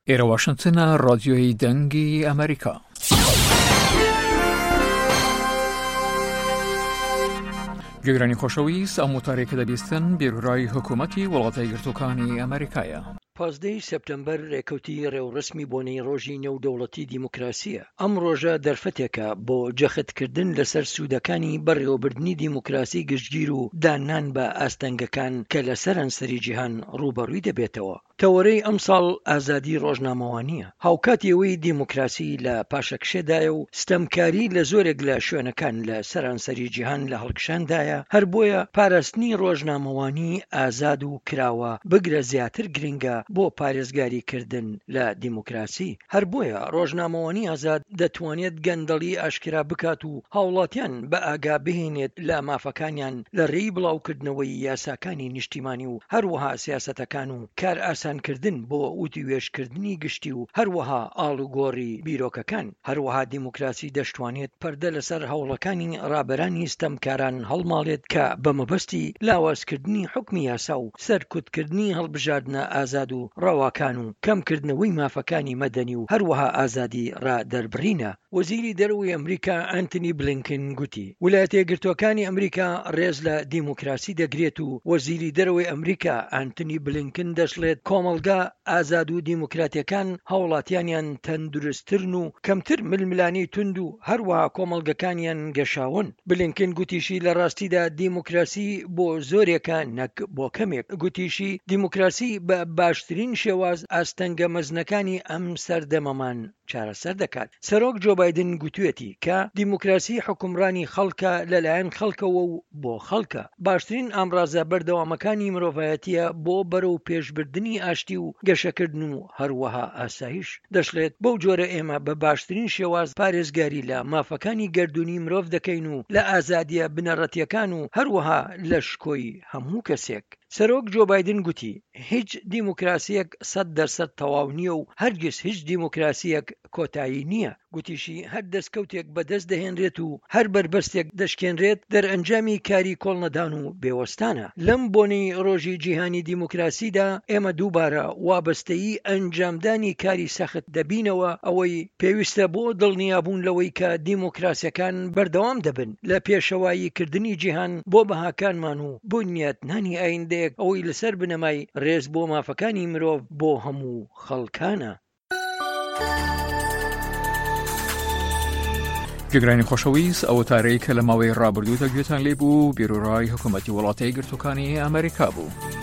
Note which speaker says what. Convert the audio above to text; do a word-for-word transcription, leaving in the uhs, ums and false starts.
Speaker 1: ئێرە واشنتنە، ڕادیۆی دەنگی ئەمریکا. گوێگرانی خۆشەویست، ئەم وتارەی کە دەبیستن بیرورای حکوومەتی وڵاتە یەکگرتووەکانی ئەمریکایە.
Speaker 2: پازدە ی سێپتەمبەر رێکەوتی رێوڕەسمی بۆنەی رۆژی نێودەوڵەتی دیموکراسییە. ئەم رۆژە دەرفەتێکە بۆ جەختکردن لەسەر سوودەکانی بەڕێوەبردنی دیموکراسی گشتگیر و داننان بە ئاستەنگەکان کە لە سەرانسەری جیهان رووبەڕووی دەبێتەوە. تەوەرەی ئەمساڵ ئازادی ڕۆژنامەوانییە، هاوکاتی ئەوەی دیموکراسی لە پاشەکشێدایە و ستەمکاری لە زۆرێک لە شوێنەکان لە سەرانسەری جیهان لە هەڵکشاندایە، هەر بۆیە پاراستنی ڕۆژنامەوانی ئازاد و کراوە بگرە زیاتر گرنگە بۆ پارێزگاریکردن لە دیموکراسی. هەر بۆیە ڕۆژنامەوانی ئازاد دەتوانێت گەندەڵی ئاشکرا بکات و هاوڵاتیان بە ئاگا بهێنێت لە مافەکانیان لە رێی بڵاوکردنەوەی یاساکانی نیشتیمانی و هەروەها سیاسەتەکان و کارئاسانکردن بۆ وتووێژکردنی گشتی و هەروەها ئاڵوگۆڕی بیرۆکەکان. هەروەها دیموکراسی دەشتوانێت پەردە لەسەر هەوڵەکانی ڕابەرانی ستەمکاران هەڵماڵێت کە بە مەبەستی لاوازکردنی حوکمی یاسا و سەرکوتکردنی هەڵبژاردنە ئازاد و ڕەواکان و کەمکردنەوەی مافەکانی مەدەنی و هەروەها ئازادی ڕادەربڕینە. وەزیری دەرەوەی ئەمریکا ئەنتنی بلینکن گوتی، ولایەتە یەکگرتووەکانی ئەمریکا ڕێز لە دیموکراسی دەگرێت و وەزیری دەرەوەی ئەمریکا ئەنتنی بلینکن دەشڵێت کۆمەڵگا ئازاد و دیموکراتیەکان هاوڵاتیانیان تەندروستترن و کەمتر ململانێی توند و هەروەها کۆمەڵگەکانیان گەشاون. بلینکن گوتیشی لە ڕاستیدا دیموکراسی بۆ زۆرێکە نەک بۆ کەمێک. گوتیشی دیموکراسی بە باشترین شێواز ئاستەنگە مەزنەکانی ئەم سەردەمەمان چارەسەر دەکات. سەرۆک جۆ بایدن گوتویەتی کە دیموکراسی حوکمڕانی خەڵکە لەلایەن خەڵکەوە و بۆ خەڵکە، باشترین ئامڕازە بەردەوامەکانی مرۆڤایەتیە بۆ بەرەو پێشبردنی ئاشتی و گەشەکردن و هەروەها ئاسایش. دەشڵێت بەو جۆرە ئێمە بە باشترین شێواز پارێزگاری لە مافەکانی گەردوونی مرۆڤ دەکەین و لە ئازادیە بنەڕەتیەکان و هەروەها لە شکۆی هەموو کەسێک. سەرۆک جۆ بایدن گوتی هیچ دیموکراسیەک سەد دەرسەد تەواو نییە و هەرگیز هیچ دیموکراسیەک کۆتایی نییە. گوتیشی هەر دەستکەوتێک بەدەست دەهێنرێت و هەر بەربەستێک دەشکێنرێت دەرئەنجامی کاری کۆڵنەدان و بێوەستانە. لەم بۆنەی ڕۆژی جیهانی دیموکراسیدا ئێمە دووبارە وابەستەیی ئەنجامدانی کاری سەخت دەبینەوە، ئەوەی پێویستە بۆ دڵنیابوون لەوەی کە دیموکراسیەکان بەردەوام دەبن لە پێشەواییکردنی جیهان بۆ بەهاکانمان و بنیاتنانی ئایندەیەک ئەوەی لەسەر بنەمای ڕێز بۆ مافەکانی مرۆڤ بۆ هەموو خەڵکانە.
Speaker 1: گوێگرانی خۆشەویست، ئەو وتارەی کە لە ماوەی ڕابردوودا گوێتان لێ بوو بیرورای حکوومەتی وڵاتە یەکگرتووەکانی ئەمریکا بوو.